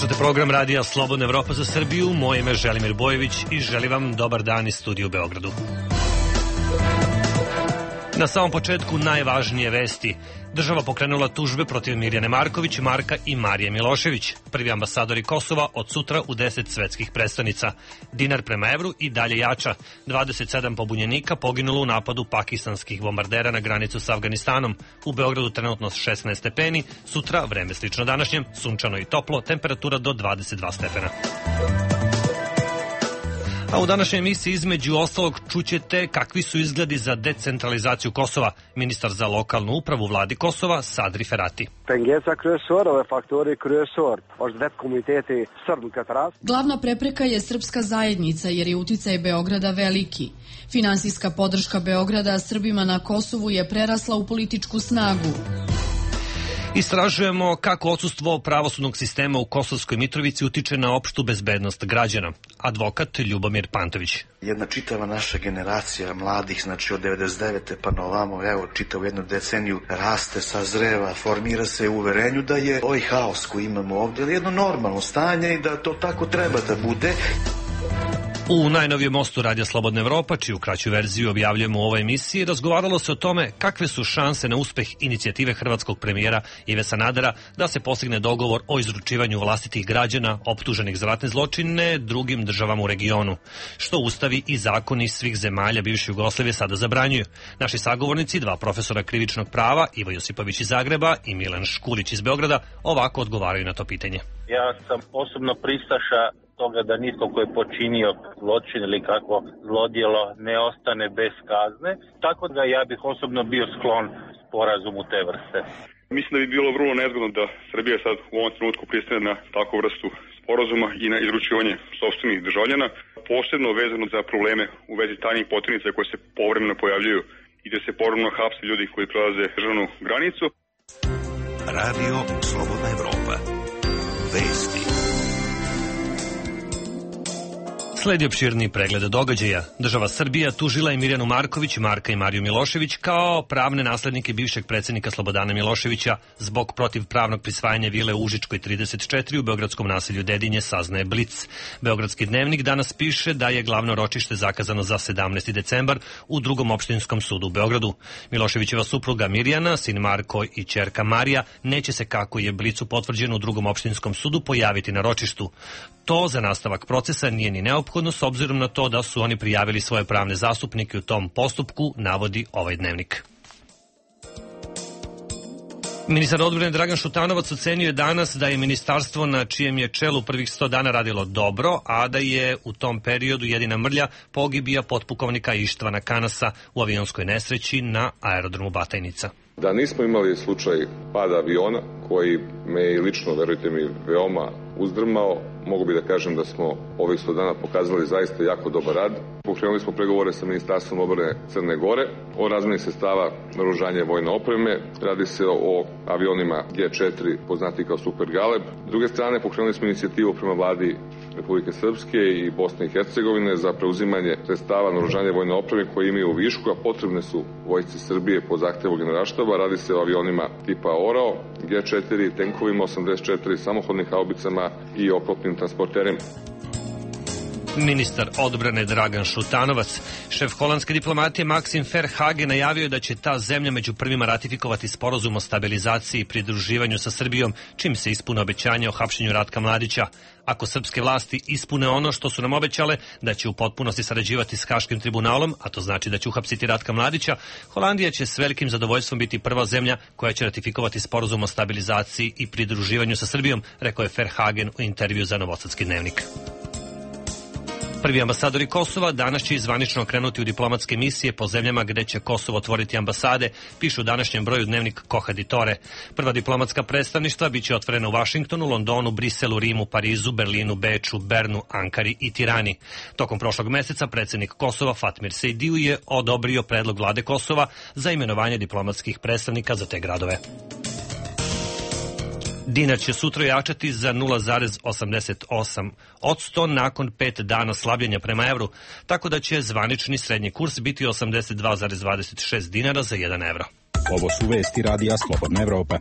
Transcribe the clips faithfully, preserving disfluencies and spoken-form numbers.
Slušate program Radija Slobodna Evropa za Srbiju. Moje ime je Želimir Bojević i želim vam dobar dan iz studija u Beogradu. Na samom početku najvažnije vesti. Država pokrenula tužbe protiv Mirjane Marković, Marka i Marije Milošević. Prvi ambasadori Kosova od sutra u deset svetskih prestonica. Dinar prema evru i dalje jača. dvadeset sedam pobunjenika poginulo u napadu pakistanskih bombardera na granicu s Afganistanom. U Beogradu trenutno šesnaest stepeni, sutra vreme slično današnjem, sunčano i toplo, temperatura do dvadeset dva stepena. A u današnjoj emisiji između ostalog čućete kakvi su izgledi za decentralizaciju Kosova. Ministar za lokalnu upravu vladi Kosova Sadri Ferati. Glavna prepreka je srpska zajednica jer je uticaj Beograda veliki. Finansijska podrška Beograda Srbima na Kosovu je prerasla u političku snagu. Istražujemo kako odsustvo pravosudnog sistema u Kosovskoj Mitrovici utiče na opštu bezbednost građana. Advokat Ljubomir Pantović. Jedna čitava naša generacija mladih, znači od devedeset devete pa na ovamo, evo, čitavu jednu deceniju raste, sazreva, formira se u uverenju da je ovaj haos koji imamo ovdje jedno normalno stanje i da to tako treba da bude. U najnovijem mostu Radija Slobodna Evropa, čiju kraću verziju objavljujemo u ovoj emisiji, razgovaralo se o tome kakve su šanse na uspeh inicijative hrvatskog premijera Ive Sanadera da se postigne dogovor o izručivanju vlastitih građana optuženih za ratne zločine drugim državama u regionu, što ustavi i zakoni svih zemalja bivše Jugoslavije sada zabranjuju. Naši sagovornici, dva profesora krivičnog prava, Ivo Josipović iz Zagreba i Milan Škulić iz Beograda, ovako odgovaraju na to pitanje. Ja sam osobno pristaša toga da nitko ko je počinio zločin ili kako zlodjelo ne ostane bez kazne, tako da ja bih osobno bio sklon sporazumu te vrste. Mislim da bi bilo vrlo nezgodno da Srbija sad u ovom trenutku pristane na takvu vrstu sporazuma i na izručivanje sopstvenih državljana, posebno vezano za probleme u vezi tajnih poternica koje se povremeno pojavljuju i da se povremeno hapse ljudi koji prelaze državnu granicu. Radio Slobodna Evropa. Vesti. Sledi opširni pregled događaja. Država Srbija tužila je Mirjanu Marković, Marka i Mariju Milošević kao pravne naslednike bivšeg predsjednika Slobodana Miloševića zbog protivpravnog prisvajanja vile u Užičkoj trideset četiri u beogradskom naselju Dedinje, saznaje Blic. Beogradski dnevnik danas piše da je glavno ročište zakazano za sedamnaesti decembar u drugom opštinskom sudu u Beogradu. Miloševićeva supruga Mirjana, sin Marko i ćerka Marija neće se, kako je Blicu potvrđeno u drugom opštinskom sudu, pojaviti na ročištu. To za nastavak procesa nije ni neophodno s obzirom na to da su oni prijavili svoje pravne zastupnike u tom postupku, navodi ovaj dnevnik. Ministar odbrane Dragan Šutanovac ocenio je danas da je ministarstvo na čijem je čelu prvih sto dana radilo dobro, a da je u tom periodu jedina mrlja pogibija potpukovnika Ištvana Kanasa u avionskoj nesreći na aerodromu Batajnica. Da nismo imali slučaj pada aviona koji me i lično, verujte mi, veoma uzdrmao, mogu bi da kažem da smo ovih sto dana pokazali zaista jako dobar rad. Pokrenuli smo pregovore sa Ministarstvom odbrane Crne Gore o razmeni sredstava naoružanja vojne opreme. Radi se o avionima G četiri, poznati kao Super Galeb. S druge strane, pokrenuli smo inicijativu prema vladi Republike Srpske i Bosne i Hercegovine za preuzimanje sredstava naoružanja vojne opreme koje imaju u višku, a potrebne su vojsci Srbije po zahtevu Generalštaba. Radi se o avionima tipa Orao, G četiri, tenkovima osamdeset četiri, samohodnim haubicama i oklopnim transporterima. Ministar odbrane Dragan Šutanovac. Šef holandske diplomatije Maxim Verhagen najavio je da će ta zemlja među prvima ratifikovati sporazum o stabilizaciji i pridruživanju sa Srbijom, čim se ispune obećanja o hapšenju Ratka Mladića. Ako srpske vlasti ispune ono što su nam obećale, da će u potpunosti sarađivati s Haškim tribunalom, a to znači da će uhapsiti Ratka Mladića, Holandija će s velikim zadovoljstvom biti prva zemlja koja će ratifikovati sporazum o stabilizaciji i pridruživanju sa Srbijom, rekao je Verhagen u intervju za Novosadski dnevnik. Prvi ambasadori Kosova danas će zvanično krenuti u diplomatske misije po zemljama gde će Kosovo otvoriti ambasade, pišu u današnjem broju dnevnik Kohaditore. Prva diplomatska predstavništva biće otvorena u Vašingtonu, Londonu, Briselu, Rimu, Parizu, Berlinu, Beču, Bernu, Ankari i Tirani. Tokom prošlog meseca predsjednik Kosova Fatmir Sejdiju je odobrio predlog vlade Kosova za imenovanje diplomatskih predstavnika za te gradove. Dinar će sutra jačati za nula zarez osamdeset osam posto nakon pet dana slabljenja prema evru, tako da će zvanični srednji kurs biti osamdeset dva zarez dvadeset šest dinara za jedan evro. Ovo su vesti Radija Slobodna Evropa.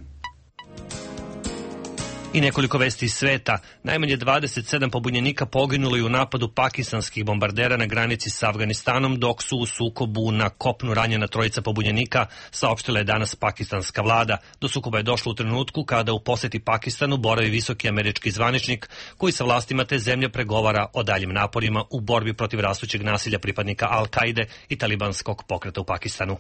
I nekoliko vesti iz sveta. Najmanje dvadeset sedam pobunjenika poginulo je u napadu pakistanskih bombardera na granici sa Afganistanom, dok su u sukobu na kopnu ranjena trojica pobunjenika, saopštila je danas pakistanska vlada. Do sukoba je došlo u trenutku kada u poseti Pakistanu boravi visoki američki zvaničnik koji sa vlastima te zemlje pregovara o daljim naporima u borbi protiv rastućeg nasilja pripadnika Al-Kaide i talibanskog pokreta u Pakistanu.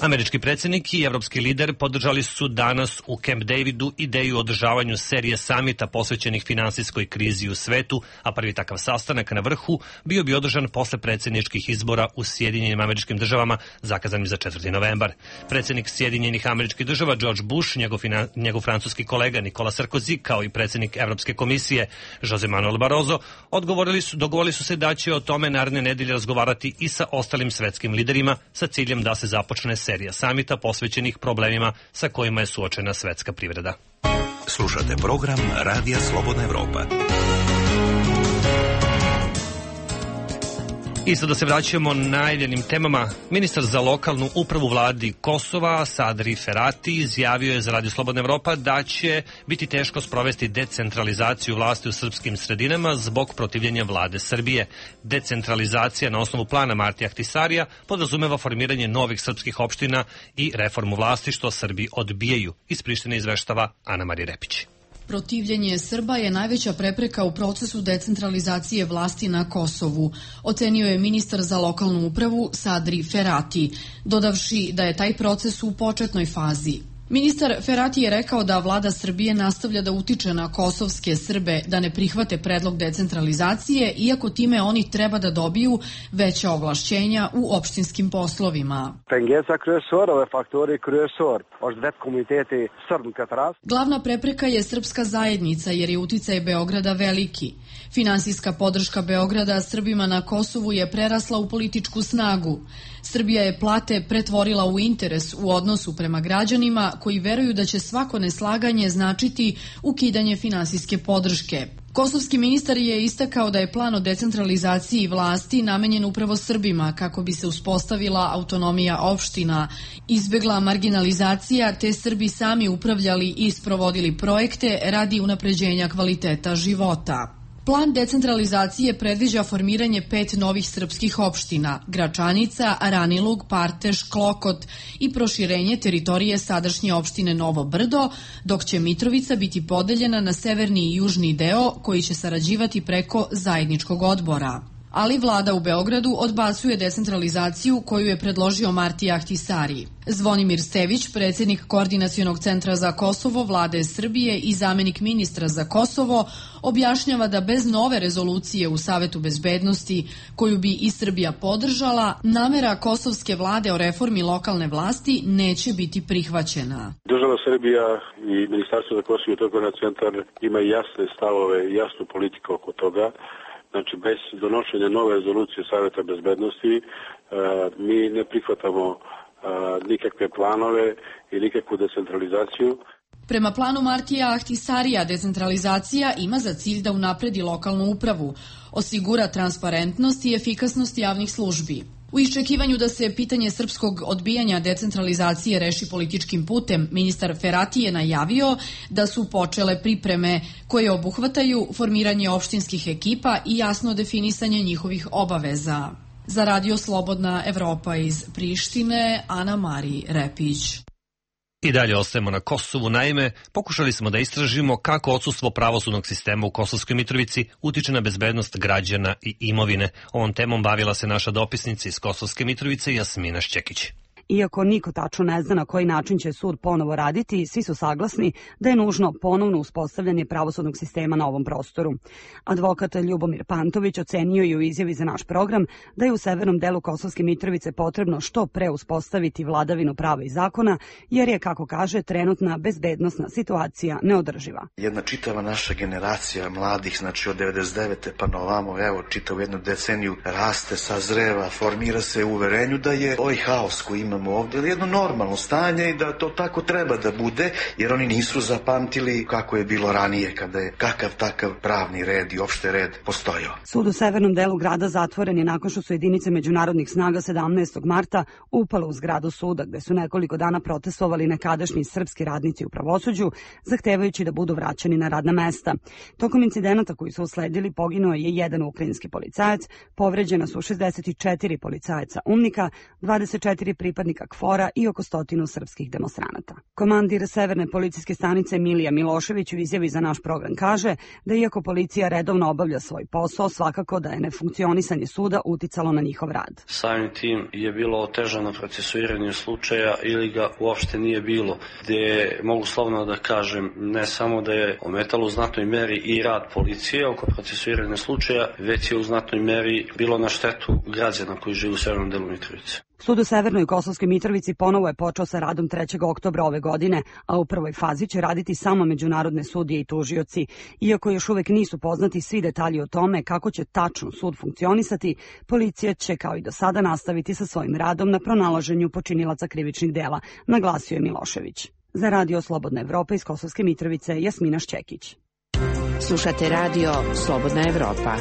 Američki predsjednik i evropski lider podržali su danas u Camp Davidu ideju o održavanju serije samita posvećenih finansijskoj krizi u svetu, a prvi takav sastanak na vrhu bio bi održan posle predsjedničkih izbora u Sjedinjenim američkim državama, zakazanim za četvrti novembar. Predsjednik Sjedinjenih američkih država George Bush, njegov, njegov francuski kolega Nikola Sarkozy, kao i predsjednik Evropske komisije Jose Manuel Barroso, odgovorili su, dogovorili su se da će o tome naredne nedelje razgovarati i sa ostalim svetskim liderima sa ciljem da se započne serija samita posvećenih problemima sa kojima je suočena svetska privreda. Slušate program Radija Slobodna Evropa. I sada se vraćamo najavljenim temama. Ministar za lokalnu upravu vladi Kosova, Sadri Ferati, izjavio je za Radio Slobodna Evropa da će biti teško sprovesti decentralizaciju vlasti u srpskim sredinama zbog protivljenja vlade Srbije. Decentralizacija na osnovu plana Martija Ahtisarija podrazumeva formiranje novih srpskih opština i reformu vlasti, što Srbi odbijaju. Iz Prištine izveštava Ana Marija Repić. Protivljenje Srba je najveća prepreka u procesu decentralizacije vlasti na Kosovu, ocenio je ministar za lokalnu upravu Sadri Ferati, dodavši da je taj proces u početnoj fazi. Ministar Ferati je rekao da vlada Srbije nastavlja da utiče na kosovske Srbe da ne prihvate predlog decentralizacije, iako time oni treba da dobiju veća ovlašćenja u opštinskim poslovima. Glavna prepreka je srpska zajednica jer je uticaj Beograda veliki. Finansijska podrška Beograda Srbima na Kosovu je prerasla u političku snagu. Srbija je plate pretvorila u interes u odnosu prema građanima koji veruju da će svako neslaganje značiti ukidanje finansijske podrške. Kosovski ministar je istakao da je plan o decentralizaciji vlasti namenjen upravo Srbima kako bi se uspostavila autonomija opština, izbegla marginalizacija te Srbi sami upravljali i sprovodili projekte radi unapređenja kvaliteta života. Plan decentralizacije predviđa formiranje pet novih srpskih opština, Gračanica, Aranilug, Parteš, Klokot i proširenje teritorije sadašnje opštine Novo Brdo, dok će Mitrovica biti podeljena na severni i južni deo koji će sarađivati preko zajedničkog odbora. Ali vlada u Beogradu odbacuje decentralizaciju koju je predložio Martija Ahtisari. Zvonimir Stević, predsjednik Koordinacionog centra za Kosovo vlade Srbije i zamenik ministra za Kosovo, objašnjava da bez nove rezolucije u Savetu bezbednosti, koju bi i Srbija podržala, namera kosovske vlade o reformi lokalne vlasti neće biti prihvaćena. Država Srbija i Ministarstvo za Kosovo i Metohiju centar ima jasne stavove i jasnu politiku oko toga. Znači, bez donošenja nove rezolucije Saveta bezbednosti mi ne prihvatamo nikakve planove i nikakvu decentralizaciju. Prema planu Martija Ahtisarija, decentralizacija ima za cilj da unapredi lokalnu upravu, osigura transparentnost i efikasnost javnih službi. U iščekivanju da se pitanje srpskog odbijanja decentralizacije reši političkim putem, ministar Ferati je najavio da su počele pripreme koje obuhvataju formiranje opštinskih ekipa i jasno definisanje njihovih obaveza. Za Radio Slobodna Evropa iz Prištine, Ana Marija Repić. I dalje ostajemo na Kosovu. Naime, pokušali smo da istražimo kako odsustvo pravosudnog sistema u Kosovskoj Mitrovici utiče na bezbednost građana i imovine. Ovom temom bavila se naša dopisnica iz Kosovske Mitrovice Jasmina Šćekić. Iako niko tačno ne zna na koji način će sud ponovo raditi, svi su saglasni da je nužno ponovno uspostavljanje pravosudnog sistema na ovom prostoru. Advokat Ljubomir Pantović ocenio je u izjavi za naš program da je u severnom delu Kosovske Mitrovice potrebno što pre uspostaviti vladavinu prava i zakona, jer je, kako kaže, trenutna bezbednosna situacija neodrživa. Jedna čitava naša generacija mladih, znači od devedeset devete pa na ovamo, evo, čitavu jednu deceniju raste, sazreva, formira se u uverenju da je ovaj haos koji imamo imamo ovdje, ali jedno normalno stanje i da to tako treba da bude, jer oni nisu zapamtili kako je bilo ranije, kada je kakav takav pravni red i opšte red postojao. Sud u severnom delu grada zatvoren je nakon što su jedinice međunarodnih snaga sedamnaestog marta upale u zgradu suda, gde su nekoliko dana protestovali nekadašnji srpski radnici u pravosuđu, zahtevajući da budu vraćani na radna mesta. Tokom incidenata koji su usledili poginuo je jedan ukrajinski policajac, povređena su šezdeset četiri policajaca umnika, dvadeset četiri pripadnika KFOR-a i oko stotinu srpskih demonstranata. Komandir Severne policijske stanice Milija Milošević u izjavi za naš program kaže da iako policija redovno obavlja svoj posao, svakako da je nefunkcionisanje suda uticalo na njihov rad. Samim tim je bilo otežano procesuiranje slučaja ili ga uopšte nije bilo, gde mogu slovno da kažem ne samo da je ometalo u znatnoj meri i rad policije oko procesuiranja slučaja, već je u znatnoj meri bilo na štetu građana koji žive u severnom delu Mitrovice. Sud u Severnoj Kosovskoj Mitrovici ponovo je počeo sa radom trećeg oktobra ove godine, a u prvoj fazi će raditi samo međunarodne sudije i tužioci. Iako još uvek nisu poznati svi detalji o tome kako će tačno sud funkcionisati, policija će kao i do sada nastaviti sa svojim radom na pronalaženju počinilaca krivičnih dela, naglasio je Milošević. Za Radio Slobodna Evropa iz Kosovske Mitrovice, Jasmina Šćekić. Slušate Radio Slobodna Evropa.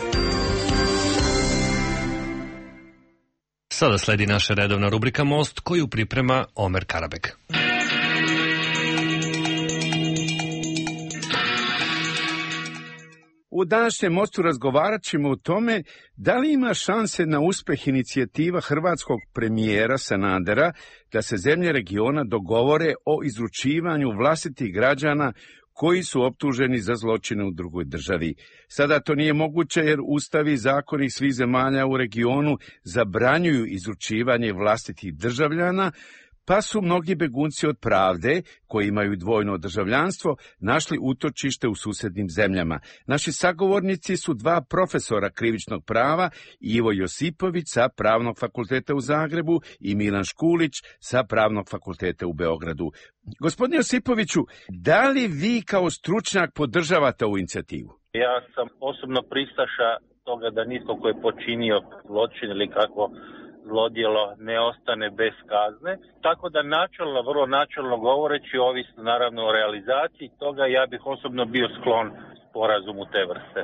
Sada sledi naša redovna rubrika Most, koju priprema Omer Karabek. U današnjem Mostu razgovarat ćemo o tome da li ima šanse na uspeh inicijativa hrvatskog premijera Sanadera da se zemlje regiona dogovore o izručivanju vlastitih građana koji su optuženi za zločine u drugoj državi. Sada to nije moguće jer ustavi i zakoni svih zemalja u regionu zabranjuju izručivanje vlastitih državljana, pa su mnogi begunci od pravde, koji imaju dvojno državljanstvo, našli utočište u susednim zemljama. Naši sagovornici su dva profesora krivičnog prava, Ivo Josipović sa Pravnog fakulteta u Zagrebu i Milan Škulić sa Pravnog fakulteta u Beogradu. Gospodine Josipoviću, da li vi kao stručnjak podržavate ovu inicijativu? Ja sam osobno pristaša toga da nitko ko je počinio zločin ili kako zlodjelo ne ostane bez kazne, tako da načelno, vrlo načelno govoreći, ovisno naravno o realizaciji toga, ja bih osobno bio sklon sporazumu te vrste.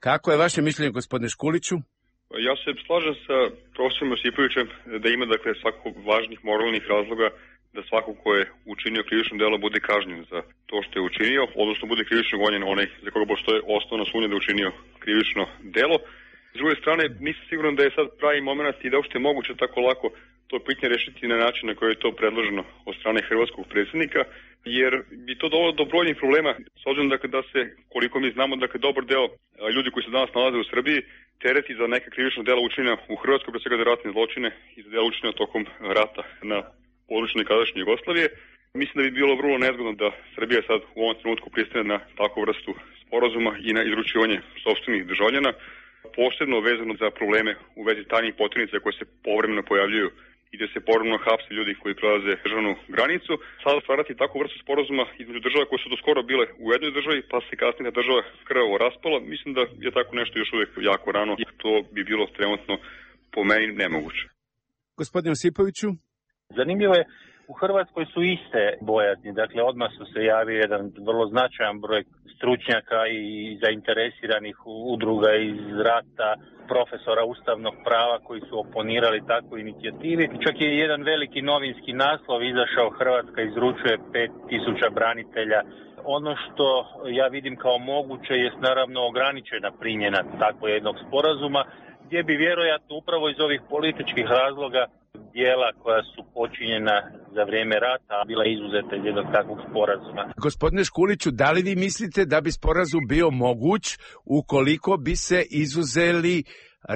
Kako je vaše mišljenje, gospodine Škuliću? Ja se slažem sa profesorom Josipovićem da ima dakle svako važnih moralnih razloga da svako ko je učinio krivično delo bude kažnjen za to što je učinio, odnosno bude krivično gonjen onaj za koga postoje osnovna sumnja da je učinio krivično delo. S druge strane, nisam siguran da je sad pravi moment i da uopšte je moguće tako lako to pitanje rešiti na način na koji je to predloženo od strane hrvatskog predsjednika, jer bi to dovelo do brojnih problema, s obzirom dakle, da se, koliko mi znamo, dakle, dobar deo ljudi koji se danas nalaze u Srbiji tereti za neka krivična dela učinjena u Hrvatskoj, pre svega za ratne zločine i za dela učinjena tokom rata na području nekadašnje Jugoslavije. Mislim da bi bilo vrlo nezgodno da Srbija sad u ovom trenutku pristane na takvu vrstu sporazuma i na izručivanje sopstvenih državljana, posebno vezano za probleme u vezi tajnih poternica koje se povremeno pojavljuju i gde se povremeno hapse ljudi koji prelaze državnu granicu. Sada stvarati takvu vrstu sporazuma između država koje su do skoro bile u jednoj državi, pa se kasnije država krvavo raspala, mislim da je tako nešto još uvijek jako rano i to bi bilo trenutno po meni nemoguće. Gospodine Josipoviću? Zanimljivo je, u Hrvatskoj su iste bojazni, dakle odmah su se javio jedan vrlo značajan broj stručnjaka i zainteresiranih udruga iz rata, profesora ustavnog prava koji su oponirali takvoj inicijativi. Čak je jedan veliki novinski naslov izašao, Hrvatska izručuje pet tisuća branitelja. Ono što ja vidim kao moguće je naravno ograničena primjena takvog jednog sporazuma, gdje bi vjerojatno upravo iz ovih političkih razloga dijela koja su počinjena za vrijeme rata bila izuzeta iz jednog takvog sporazuma. Gospodine Škuliću, da li vi mislite da bi sporazum bio moguć ukoliko bi se izuzeli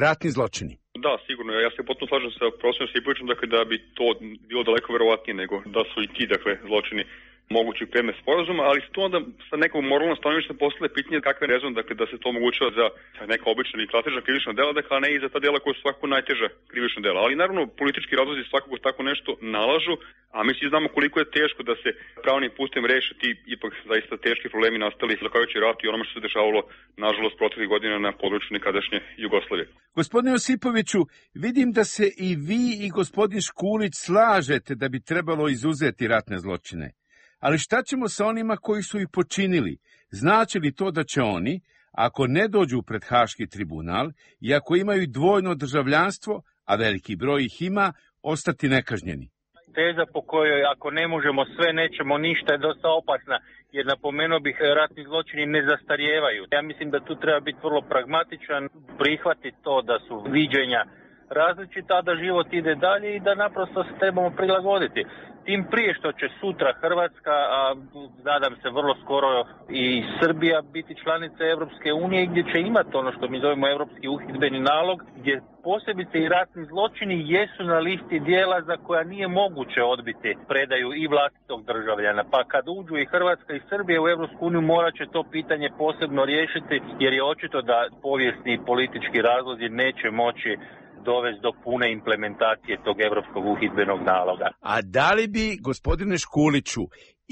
ratni zločini? Da, sigurno. Ja se potpuno slažem sa profesorom Josipovićem, dakle, da bi to bilo daleko verovatnije nego da su i ti dakle, zločini mogući predmet sporazuma, ali se tu onda sa nekom moralnom stanovišta postavlja pitanje kakve rezon, dakle da se to omogućava za neka obična i klasična krivična dela, dakle a ne i za ta dela koja su svakako najteža krivična dela. Ali naravno politički razlozi svakako tako nešto nalažu, a mi svi znamo koliko je teško da se pravnim putem reše ti ipak zaista teški problemi nastali zahvaljujući ratu i onome što se dešavalo nažalost proteklih godina na području nekadašnje Jugoslavije. Gospodine Josipoviću, vidim da se i vi i gospodin Škulić slažete da bi trebalo izuzeti ratne zločine. Ali šta ćemo sa onima koji su ih počinili? Znači li to da će oni, ako ne dođu pred Haški tribunal i ako imaju dvojno državljanstvo, a veliki broj ih ima, ostati nekažnjeni? Teza po kojoj ako ne možemo sve, nećemo ništa je dosta opasna, jer napomenuo bih ratni zločini ne zastarijevaju. Ja mislim da tu treba biti vrlo pragmatičan, prihvatiti to da su viđenja različita, da život ide dalje i da naprosto se trebamo prilagoditi. Tim prije što će sutra Hrvatska, a nadam se vrlo skoro i Srbija biti članica Europske unije, gdje će imati ono što mi zovemo Europski uhidbeni nalog, gdje posebice i ratni zločini jesu na listi dijela za koja nije moguće odbiti predaju i vlastitog državljana. Pa kad uđu i Hrvatska i Srbija u Europsku uniju morat će to pitanje posebno riješiti, jer je očito da povijesni i politički razlozi neće moći dovesti do pune implementacije tog europskog uhidbenog naloga. A da li bi, gospodine Škuliću,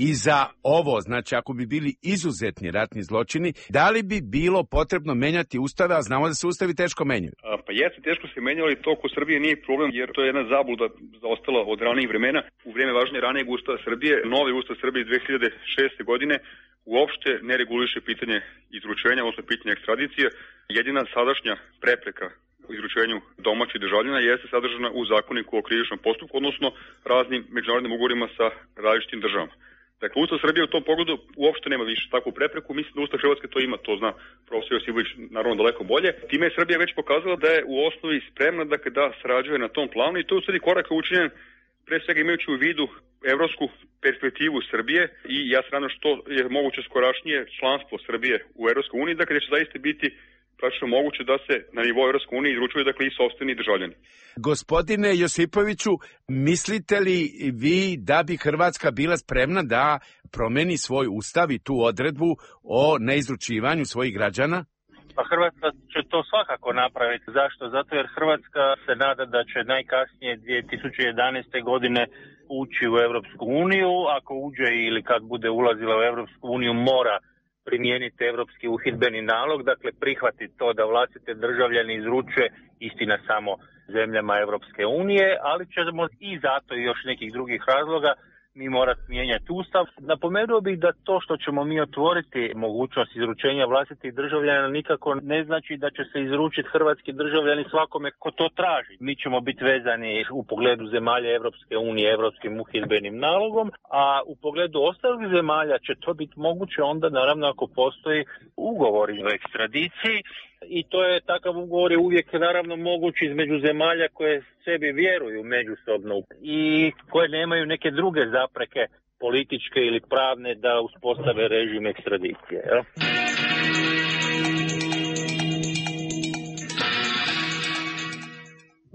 i za ovo, znači ako bi bili izuzetni ratni zločini, da li bi bilo potrebno menjati ustave, a znamo da se ustavi teško menjaju? A, pa jeste, teško se menjaju, ali to kod Srbije nije problem, jer to je jedna zabluda zaostala od ranijih vremena. U vrijeme važnije ranijeg ustava Srbije, novi ustav Srbije iz dve hiljade šeste. godine uopšte ne reguliše pitanje izručenja, odnosno pitanje ekstradicije. Jedina sadašnja prepreka u izručenju domaćih državljana jeste sadržana u zakoniku o krivičnom postupku, odnosno raznim međunarodnim ugovorima sa različitim državama. Dakle, Ustav Srbije u tom pogledu uopšte nema više takvu prepreku. Mislim da Ustav Hrvatske to ima, to zna profesor Josipović naravno daleko bolje. Time je Srbija već pokazala da je u osnovi spremna dakle, da sarađuje na tom planu i to je u stvari korak učinjen pre svega imajući u vidu evropsku perspektivu Srbije i ja se nadam što je moguće skorašnije članstvo Srbije u Evropskoj uniji, dakle će zaista biti praktično moguće da se na nivou Evropske unije izručuju dakle i sopstveni državljani. Gospodine Josipoviću, mislite li vi da bi Hrvatska bila spremna da promeni svoj ustav i tu odredbu o neizručivanju svojih građana? Pa Hrvatska će to svakako napraviti. Zašto? Zato jer Hrvatska se nada da će najkasnije dvije tisuće jedanaeste. godine ući u Evropsku uniju. Ako uđe ili kad bude ulazila u Evropsku uniju mora primijeniti Europski uhidbeni nalog, dakle prihvatiti to da vlastite državljani izručuje, istina samo zemljama Europske unije, ali ćemo i zato i još nekih drugih razloga mi morati mijenjati ustav. Napomenuo bih da to što ćemo mi otvoriti mogućnost izručenja vlastitih državljana nikako ne znači da će se izručiti hrvatski državljani svakome ko to traži. Mi ćemo biti vezani u pogledu zemalja Europske unije Europskim uhidbenim nalogom, a u pogledu ostalih zemalja će to biti moguće onda naravno ako postoji ugovor o ekstradiciji. I to je takav ugovor je uvijek naravno moguć između zemalja koje sebi vjeruju međusobno i koje nemaju neke druge zapreke političke ili pravne da uspostave režim ekstradicije. Jel?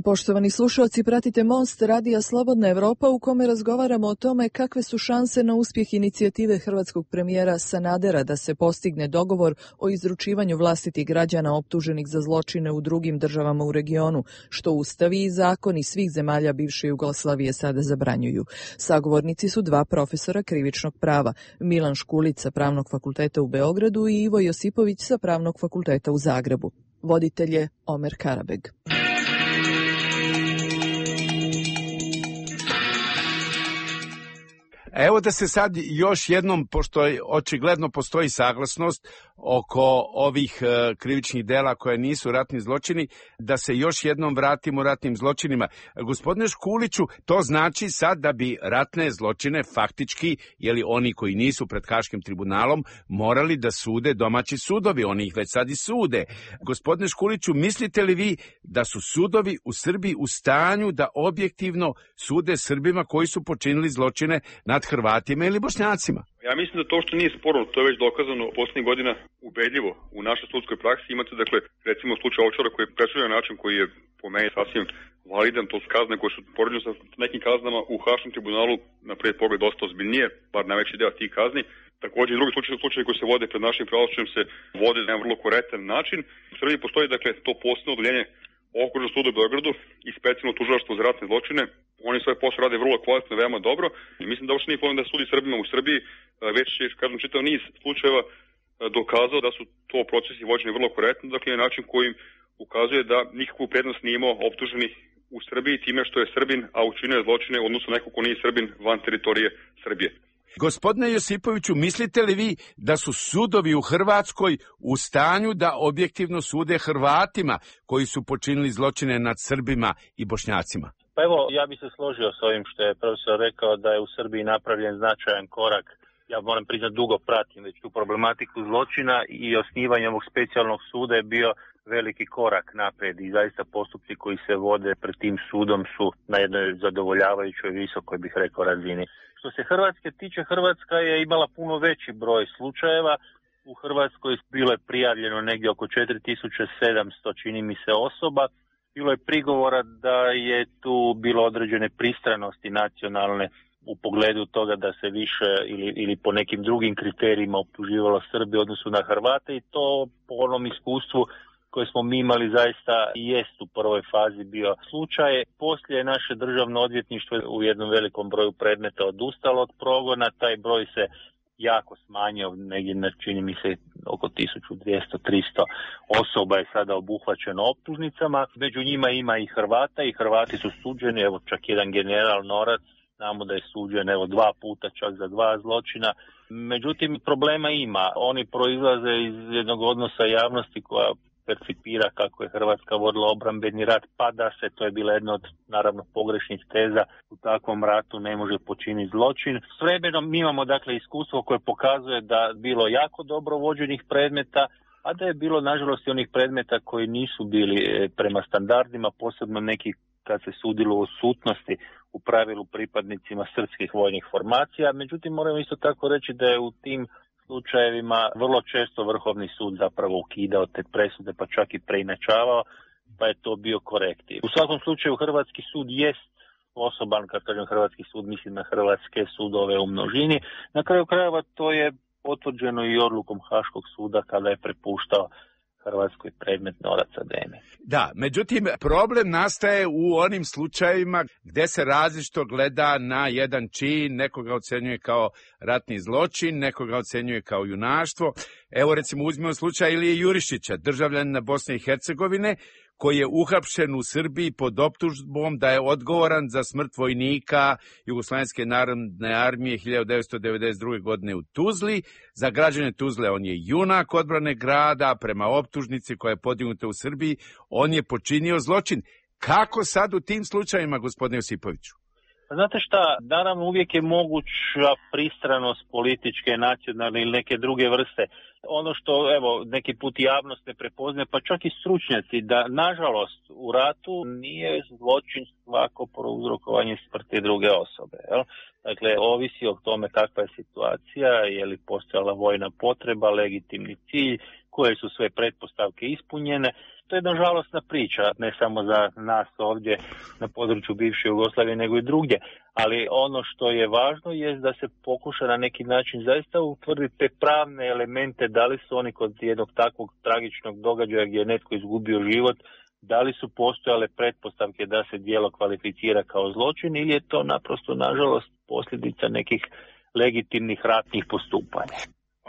Poštovani slušalci, pratite Most radija Slobodna Evropa u kome razgovaramo o tome kakve su šanse na uspjeh inicijative hrvatskog premijera Sanadera da se postigne dogovor o izručivanju vlastitih građana optuženih za zločine u drugim državama u regionu, što ustavi i zakoni svih zemalja bivše Jugoslavije sada zabranjuju. Sagovornici su dva profesora krivičnog prava, Milan Škulić sa Pravnog fakulteta u Beogradu i Ivo Josipović sa Pravnog fakulteta u Zagrebu. Voditelj je Omer Karabeg. Evo da se sad još jednom, pošto očigledno postoji saglasnost oko ovih e, krivičnih dela koje nisu ratni zločini, da se još jednom vratimo ratnim zločinima. Gospodine Škuliću, to znači sad da bi ratne zločine faktički, jeli oni koji nisu pred Haškim tribunalom, morali da sude domaći sudovi, oni ih već sad i sude. Gospodine Škuliću, mislite li vi da su sudovi u Srbiji u stanju da objektivno sude Srbima koji su počinili zločine nad Hrvatima ili Bošnjacima? Ja mislim da to što nije sporno, to je već dokazano poslednjih godina ubedljivo u našoj sudskoj praksi. Imate, dakle, recimo slučaj Ovčara koji je presuđen na način koji je po meni sasvim validan, to su kazne koje su poređene sa nekim kaznama u Haškom tribunalu na prvi pogled dosta ozbiljnije, bar najveći deo tih kazni. Također i drugi slučaje, slučaje koji se vode pred našim pravosuđem se vode na vrlo korektan način. U Srbiji postoji, dakle, to posebno odeljenje Okružnog suda u Beogradu i specijalno tužilaštvo za ratne zločine. Oni svoj posao rade vrlo kvalitetno, veoma dobro i mislim da uopšte nije problem da sudi Srbima u Srbiji, već je, kažem, čitav niz slučajeva dokazao da su to procesi vođeni vrlo korektno, dakle na način kojim ukazuje da nikakvu prednost nije imao optuženi u Srbiji time što je Srbin, a učinio zločine odnosno neko ko nije Srbin van teritorije Srbije. Gospodine Josipoviću, mislite li vi da su sudovi u Hrvatskoj u stanju da objektivno sude Hrvatima koji su počinili zločine nad Srbima i Bošnjacima? Pa evo, ja bih se složio s ovim što je profesor rekao da je u Srbiji napravljen značajan korak. Ja moram priznati, dugo pratim već tu problematiku zločina i osnivanje ovog specijalnog suda je bio veliki korak naprijed i zaista postupci koji se vode pred tim sudom su na jednoj zadovoljavajućoj visokoj, bih rekao, razini. Što se Hrvatske tiče, Hrvatska je imala puno veći broj slučajeva. U Hrvatskoj bilo je prijavljeno negdje oko četiri tisuće sedamsto, čini mi se, osoba. Bilo je prigovora da je tu bilo određene pristranosti nacionalne u pogledu toga da se više ili, ili po nekim drugim kriterijima optuživalo Srbi u odnosu na Hrvate i to po onom iskustvu koje smo mi imali zaista i jest u prvoj fazi bio slučaj. Poslije je naše državno odvjetništvo u jednom velikom broju predmeta odustalo od progona, taj broj se jako smanjio, negdje čini mi se oko tisuću dvjesto do tristo osoba je sada obuhvaćeno optužnicama. Među njima ima i Hrvata i Hrvati su suđeni, evo čak jedan general Norac, znamo da je suđen evo dva puta čak za dva zločina. Međutim, problema ima. Oni proizlaze iz jednog odnosa javnosti koja percipira kako je Hrvatska vodila obrambeni rat, pa da se, to je bila jedna od naravno pogrešnih teza, u takvom ratu ne može počiniti zločin. S vremenom mi imamo dakle iskustvo koje pokazuje da bilo jako dobro vođenih predmeta, a da je bilo nažalost i onih predmeta koji nisu bili prema standardima, posebno neki kad se sudilo o odsutnosti u pravilu pripadnicima srpskih vojnih formacija. Međutim, moramo isto tako reći da je u tim slučajevima vrlo često Vrhovni sud zapravo ukidao te presude, pa čak i preinačavao, pa je to bio korektiv. U svakom slučaju Hrvatski sud jest osoban, kad kažem Hrvatski sud, mislim na hrvatske sudove u množini. Na kraju krajeva to je potvrđeno i odlukom Haškog suda kada je prepuštao Hrvatskoj predmet Norac Ademi. Da, međutim, problem nastaje u onim slučajevima gde se različito gleda na jedan čin, nekoga ocenjuje kao ratni zločin, nekoga ocenjuje kao junaštvo. Evo recimo uzmimo slučaj Ilije Jurišića, državljanina Bosne i Hercegovine, koji je uhapšen u Srbiji pod optužbom da je odgovoran za smrt vojnika Jugoslovenske narodne armije hiljadu devetsto devedeset druge. godine u Tuzli. Za građane Tuzle on je junak odbrane grada, prema optužnici koja je podignuta u Srbiji, on je počinio zločin. Kako sad u tim slučajima, gospodine Josipoviću? Znate šta, naravno uvijek je moguća pristranost političke, nacionalne ili neke druge vrste. Ono što, evo, neki put javnost ne prepoznaje, pa čak i stručnjaci, da nažalost u ratu nije zločin svako prouzrokovanje smrti druge osobe. Jel? Dakle, ovisi o tome kakva je situacija, je li postojala vojna potreba, legitimni cilj, koje su sve pretpostavke ispunjene. To je jedna žalosna priča, ne samo za nas ovdje na području bivše Jugoslavije, nego i drugdje. Ali ono što je važno je da se pokuša na neki način zaista utvrditi te pravne elemente, da li su oni kod jednog takvog tragičnog događaja gdje je netko izgubio život, da li su postojale pretpostavke da se djelo kvalificira kao zločin ili je to naprosto, nažalost, posljedica nekih legitimnih ratnih postupanja.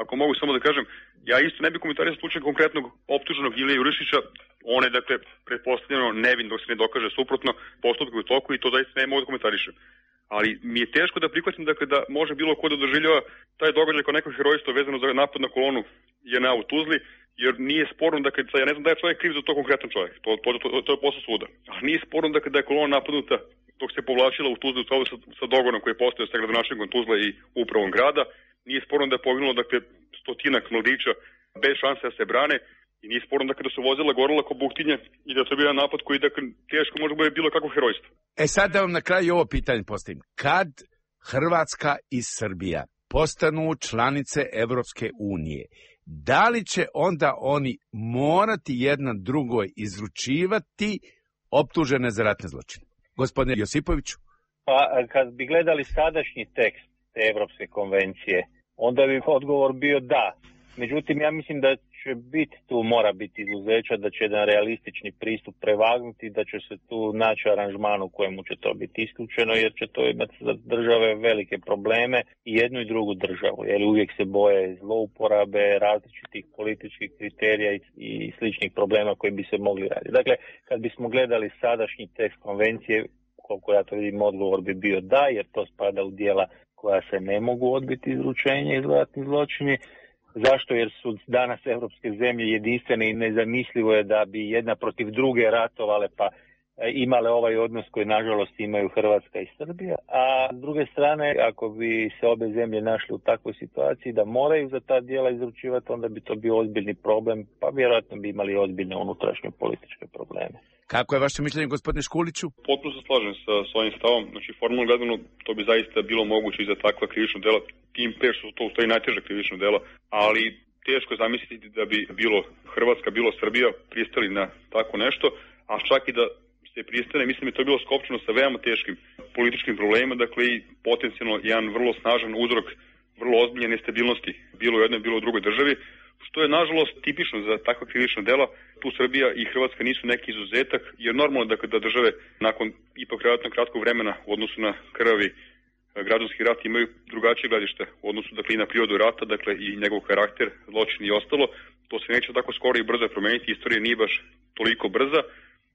Ako mogu samo da kažem, ja isto ne bih komentarisao slučaj konkretnog optuženog Ilije Jurišića. On je, dakle, pretpostavljeno nevin dok se ne dokaže suprotno, postupak u toku i to zaista ne mogu da komentarišem. Ali mi je teško da prihvatim, dakle, da može bilo ko da doživljava taj događaj kao neko herojstvo vezano za napad na kolonu J N A u Tuzli, jer nije sporno, dakle, ja ne znam da je čovjek kriv za to konkretan čovjek, to, to, to, to je posao suda. Ali nije sporno, dakle, da je kolona napadnuta dok se povlačila u Tuzli sa, sa dogonom koji je postojao sa gradonačelnikom Tuzle i upravom grada. Nije sporno da je poginulo, dakle, stotinak mladića bez šanse da se brane i nije sporno, dakle, da su vozila gorila ko buktinje i da to je bio napad koji, dakle, teško može biti bilo kakvo herojstvo. E sad da vam na kraju ovo pitanje postavim. Kad Hrvatska i Srbija postanu članice Evropske unije, da li će onda oni morati jedna drugoj izručivati optužene za ratne zločine? Gospodine Josipoviću? Pa kad bi gledali sadašnji tekst te Evropske konvencije, onda bi odgovor bio da. Međutim, ja mislim da će biti tu, mora biti izuzeća, da će jedan realistični pristup prevagnuti, da će se tu naći aranžman u kojemu će to biti isključeno, jer će to imati za države velike probleme i jednu i drugu državu, jer uvijek se boje zlouporabe, različitih političkih kriterija i, i sličnih problema koji bi se mogli raditi. Dakle, kad bismo gledali sadašnji tekst konvencije, koliko ja to vidim, odgovor bi bio da, jer to spada u dijela koja se ne mogu odbiti izručenje iz ratnih zločini. Zašto? Jer su danas evropske zemlje jedinstvene i nezamislivo je da bi jedna protiv druge ratovale pa imale ovaj odnos koji nažalost imaju Hrvatska i Srbija. A s druge strane, ako bi se obe zemlje našli u takvoj situaciji da moraju za ta djela izručivati, onda bi to bio ozbiljni problem, pa vjerojatno bi imali ozbiljne unutrašnje političke probleme. Kako je vaše mišljenje, gospodine Škuliću? Potpuno se slažem sa svojim stavom. Znači, formalno gledano, to bi zaista bilo moguće i za takva krivična dela. Tim pre što to ustoji najteža krivična dela, ali teško je zamisliti da bi bilo Hrvatska, bilo Srbija pristali na tako nešto, a čak i da se pristane, mislim da je to bilo skopčeno sa veoma teškim političkim problemima, dakle i potencijalno jedan vrlo snažan uzrok vrlo ozbiljne nestabilnosti bilo u jednoj, bilo u drugoj državi, što je nažalost tipično za takva krivična dela. Tu Srbija i Hrvatska nisu neki izuzetak, jer normalno da kada države nakon ipak relativno kratkog vremena u odnosu na krvavi građanski rat imaju drugačije gledište u odnosu dakle, i na prirodu rata, dakle i njegov karakter, zločin i ostalo. To se neće tako skoro i brzo promeniti, istorija nije baš toliko brza.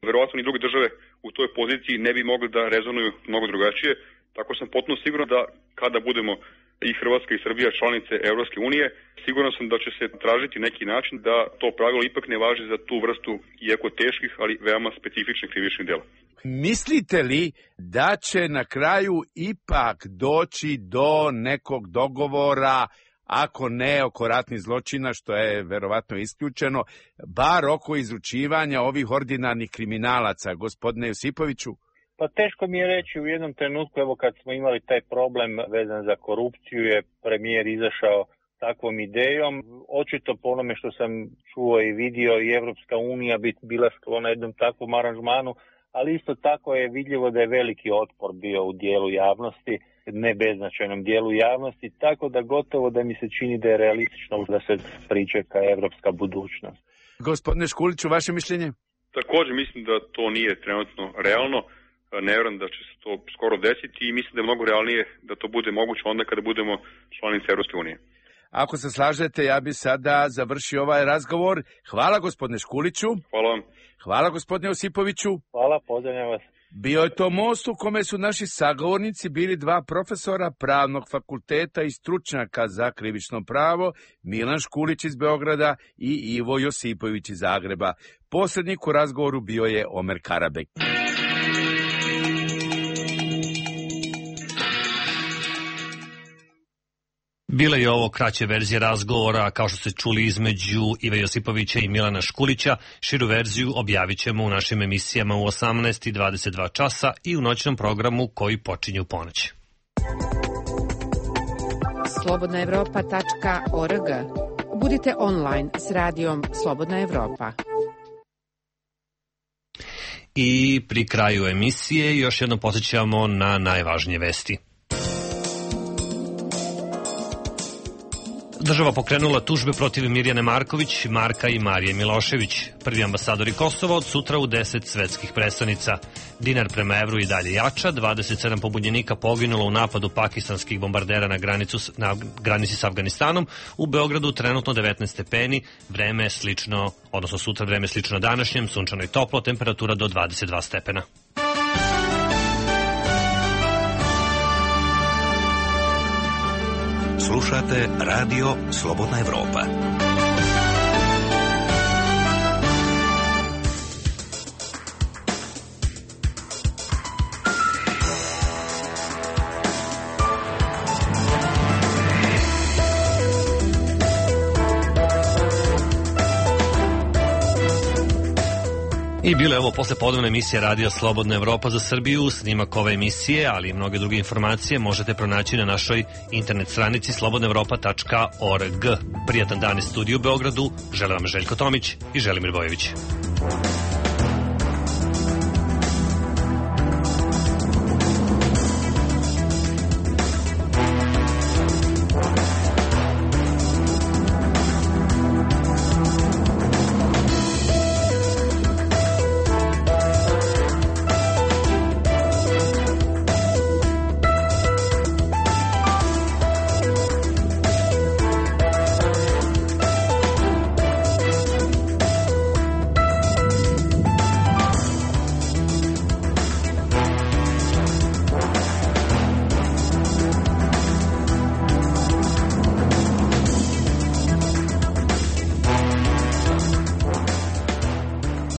Verovatno ni druge države u toj poziciji ne bi mogli da rezonuju mnogo drugačije. Tako sam potpuno siguran da kada budemo i Hrvatska i Srbija članice Evropske unije, siguran sam da će se tražiti neki način da to pravilo ipak ne važi za tu vrstu iako teških, ali veoma specifičnih krivičnih dela. Mislite li da će na kraju ipak doći do nekog dogovora, ako ne oko ratnih zločina, što je verovatno isključeno, bar oko izručivanja ovih ordinarnih kriminalaca, gospodine Josipoviću? Pa teško mi je reći u jednom trenutku, evo kad smo imali taj problem vezan za korupciju, je premijer izašao takvom idejom. Očito po onome što sam čuo i vidio i Evropska unija bi bila sklona jednom takvom aranžmanu, ali isto tako je vidljivo da je veliki otpor bio u dijelu javnosti, ne beznačajnom dijelu javnosti, tako da gotovo da mi se čini da je realistično da se pričeka evropska budućnost. Gospodine Škuliću, vaše mišljenje? Također mislim da to nije trenutno realno. Ne vjerujem da će se to skoro desiti i mislim da je mnogo realnije da to bude moguće onda kada budemo članice Evropske unije. Ako se slažete, ja bi sada završio ovaj razgovor. Hvala gospodine Škuliću. Hvala vam. Hvala gospodine Josipoviću. Hvala, pozdravljam vas. Bio je to most u kome su naši sagovornici bili dva profesora Pravnog fakulteta i stručnjaka za krivično pravo, Milan Škulić iz Beograda i Ivo Josipović iz Zagreba. Posrednik u razgovoru bio je Omer Karabek. Bila je ovo kraća verzija razgovora, kao što ste čuli, između Ive Josipovića i Milana Škulića. Širu verziju objavit ćemo u našim emisijama u osamnaest i dvadeset dva časa i u noćnom programu koji počinje u ponoć. slobodna evropa tačka org. Budite online s radijom Slobodna Evropa. I pri kraju emisije još jednom podsjećamo na najvažnije vesti. Država pokrenula tužbe protiv Mirjane Marković, Marka i Marije Milošević. Prvi ambasadori Kosova od sutra u deset svetskih prestonica. Dinar prema evru i dalje jača, dvadeset sedam pobunjenika poginulo u napadu pakistanskih bombardera na, granicu, na granici s Afganistanom. U Beogradu trenutno devetnaest stepeni, vreme je slično, odnosno sutra vreme je slično današnjem, sunčano i toplo, temperatura do dvadeset dva stepena. Slušate Radio Slobodna Evropa. I bilo je ovo posle podnevne emisije Radio Slobodna Evropa za Srbiju. Snimak ove emisije, ali i mnoge druge informacije možete pronaći na našoj internet stranici slobodna evropa tačka org. Prijatan dan iz studiju u Beogradu. Želim vam Željko Tomić i Želimir Bojević.